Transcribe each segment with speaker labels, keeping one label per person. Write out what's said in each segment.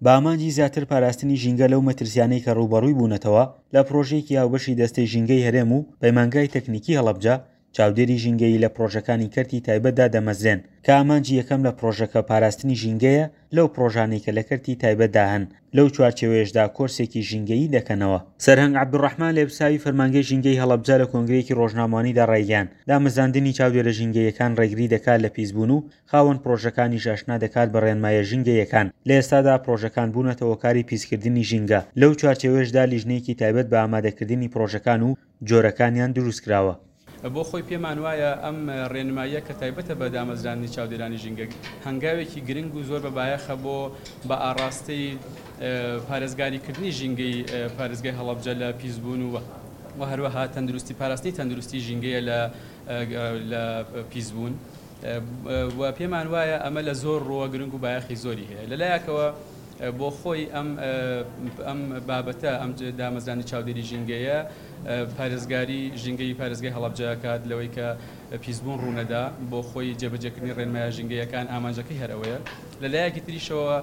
Speaker 1: بە ئامانجی زیاتر پاراستنی ژینگە لەو مەترسیانەی کە ڕووبەڕووی بوونەتەوە، لە پڕۆژەیەکی هاوبەشی دەستەی ژینگەی هەرێم و پەیمانگای تەکنیکی هەڵەبجە، چاودێری ژینگەیی لە پڕۆژەکانی کەرتی تایبەتدا دەمەزرێن، کە ئامانجی یەکەم لە پڕۆژەکە پاراستنی ژینگەیە لەو پڕۆژانەی کە لە کەرتی تایبەتدا هەن، لەو چوارچێوەیەشدا کۆرسێکی ژینگەیی دەکەنەوە. سەرهەنگ عەبدولڕەحمان لێپرسراوی فەرمانگەی ژینگەی هەڵەبجە لە کۆنگرەیەکی ڕۆژنامەوانیدا ڕایگەیاند، دامەزراندنی چاودێرە ژینگەییەکان ڕێگری دەکات لە پیسبوون و خاوەن پڕۆژەکانیش ئاشنا دەکات بە ڕێنماییە ژینگەییەکان، لە ئێستادا پڕۆژەکان بوونەتە هۆکاری پیسکردنی ژینگە، لەو چوارچێوەیەشدا لیژنەیەکی تایبەت بە ئامادەکردنی پڕۆژەکان و جۆرەکانیان دروستکراوە.
Speaker 2: بۆ خۆی پێمان وایە ئەم ڕێنماییە کە تایبەتە بە دامەزراندنی چاودێرانی ژینگە هەنگاوێکی گرنگ و زۆر بە بایەخە بۆ بە ئاڕاستەی پارێزگاریکردنی ژینگەی پارێزگای هەڵەبجە لە پیسبوون و و هەروەها تەندروستی پاراستنی تەندروستی ژینگەیە لە لە پیسبوون و پێمان وایە ئەمە لە زۆر ڕووە گرنگ و بایەخی زۆری هەیە لەلایەکەوە بۆ خۆی ئەم ئەم بابەتە ئەم دامەزرانی چاودێری ژینگەیە پارێزگاری ژینگەی پارێزگای هەڵەبجە ئەکات لەوەی کە پیسبوون ڕوونەدا، بۆ خۆی جێبەجێکردنی ڕێنمایە ژینگەیەکان ئامانجەکەی هەر ئەوەیە. لە لایەکی تریشەوە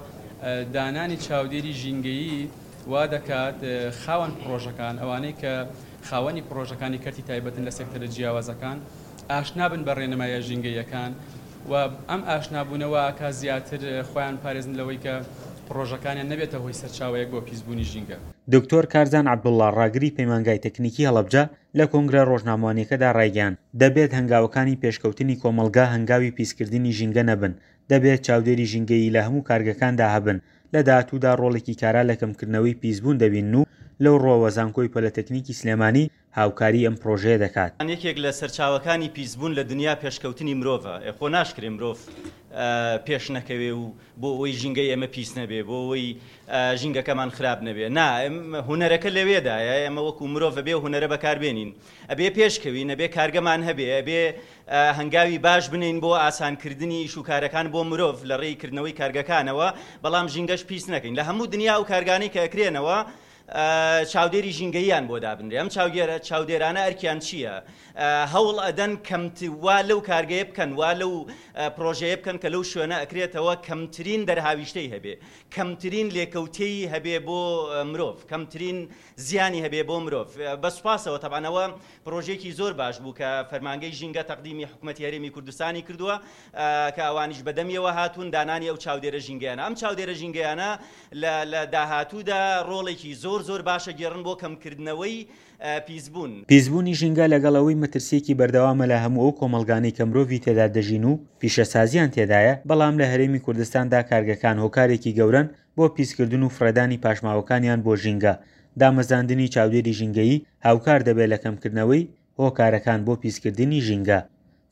Speaker 2: دانانی چاودێری ژینگەیی وا دەکات خاوەن پڕۆژەکان، ئەوانەی کە خاوەنی پڕۆژەکانی کەرتی تایبەتن لە سێکتەرە جیاوازەکان، ئاشنا بن بە ڕێنمایە ژینگەییەکان و ئەم ئاشنابوونە وا ئەکات زیاتر خۆیان بپارێزن لەوەی کە پڕۆژەکانیان نەبێتە هۆی سەرچاوەیەک بۆ پیسبوونی ژینگە.
Speaker 1: دکتۆر کارزان عەبدوڵڵا ڕاگری پەیمانگای تەکنیکی هەڵەبجە لە کۆنگرە ڕۆژنامەوانیەکەدا ڕایگەیاند، دەبێت هەنگاوەکانی پێشکەوتنی کۆمەڵگا هەنگاوی پیسکردنی ژینگە نەبن، دەبێت چاودێری ژینگەیی لە هەموو کارگەکاندا هەبن، لە داهاتوودا ڕۆڵێکی کارا لە کەمکردنەوەی پیسبوون دەبینن و لەو ڕووەوە زانکۆی پۆلەتەکنیکی سلێمانی هاوکاری ئەم پڕۆژەیە دەکات.
Speaker 3: یەکێک لە سەرچاوەکانی پیسبوون لە دنیا پێشکەوتنی مرۆڤە، ئێ خۆ ناشکرێ مرۆڤ پێش نەکەوێ و بۆ ئەوەی ژینگەی ئێمە پیس نەبێ، بۆ ئەوەی ژینگەکەمان خراپ نەبێ. نا، هونەرەکە لەوێدایە، ئێمە وەکو مرۆڤ ئەبێ هونەرە بەکار بێنین، ئەبێ پێش کەوین، ئەبێ کارگەمان هەبێ، ئەبێ هەنگاوی باش بنێین بۆ ئاسانکردنی ئیش و کارەکان بۆ مرۆڤ لە ڕێی کردنەوەی کارگەکانەوە، بەڵام ژینگەش پیس نەکەین. لە هەموو دنیا ئەو کارگانەی کە ئەکرێنەوە چاودێری ژینگەییان بۆ دابنرێ. ئەم چاودێرانە ئەرکیان چییە؟ هەوڵ ئەدەن کەمت وا لەو کارگەیە بکەن، وا لەو پڕۆژەیە بکەن کە لەو شوێنە ئەکرێتەوە کەمترین دەرهاویشتەی هەبێ، کەمترین لێکەوتەی هەبێ بۆ مرۆڤ، کەمترین زیانی هەبێ بۆ مرۆڤ. بە سوپاسەوە تەبعەن ئەوە پڕۆژەیەکی زۆر باش بوو کە فەرمانگەی ژینگە تەقدیمی حکومەتی هەرێمی کوردستانی کردووە کە ئەوانیش بەدەمیەوە هاتوون دانانی ئەو چاودێرە ژینگەیانە. ئەم چاودێرە ژینگەیانە لە لە داهاتوودا ڕۆڵێکی زۆر زۆر باش ئەگێڕن بۆ کەمکردنەوەی پیسبوون.
Speaker 1: پیسبوونی ژینگە لەگەڵ ئەوەی مەترسییەکی بەردەوامە لە هەموو ئەو کۆمەڵگانەی کە مرۆڤی تێدا دەژین و پیشەسازییان تێدایە، بەڵام لە هەرێمی کوردستاندا کارگەکان هۆکارێکی گەورەن بۆ پیسکردن و فڕێدانی پاشماوەکانیان بۆ ژینگە، دامەزراندنی چاودێری ژینگەیی هاوکار دەبێت لە کەمکردنەوەی هۆکارەکان بۆ پیسکردنی ژینگە.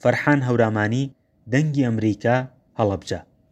Speaker 1: فەرحان هەورامانی، دەنگی ئەمریکا، هەڵەبجە.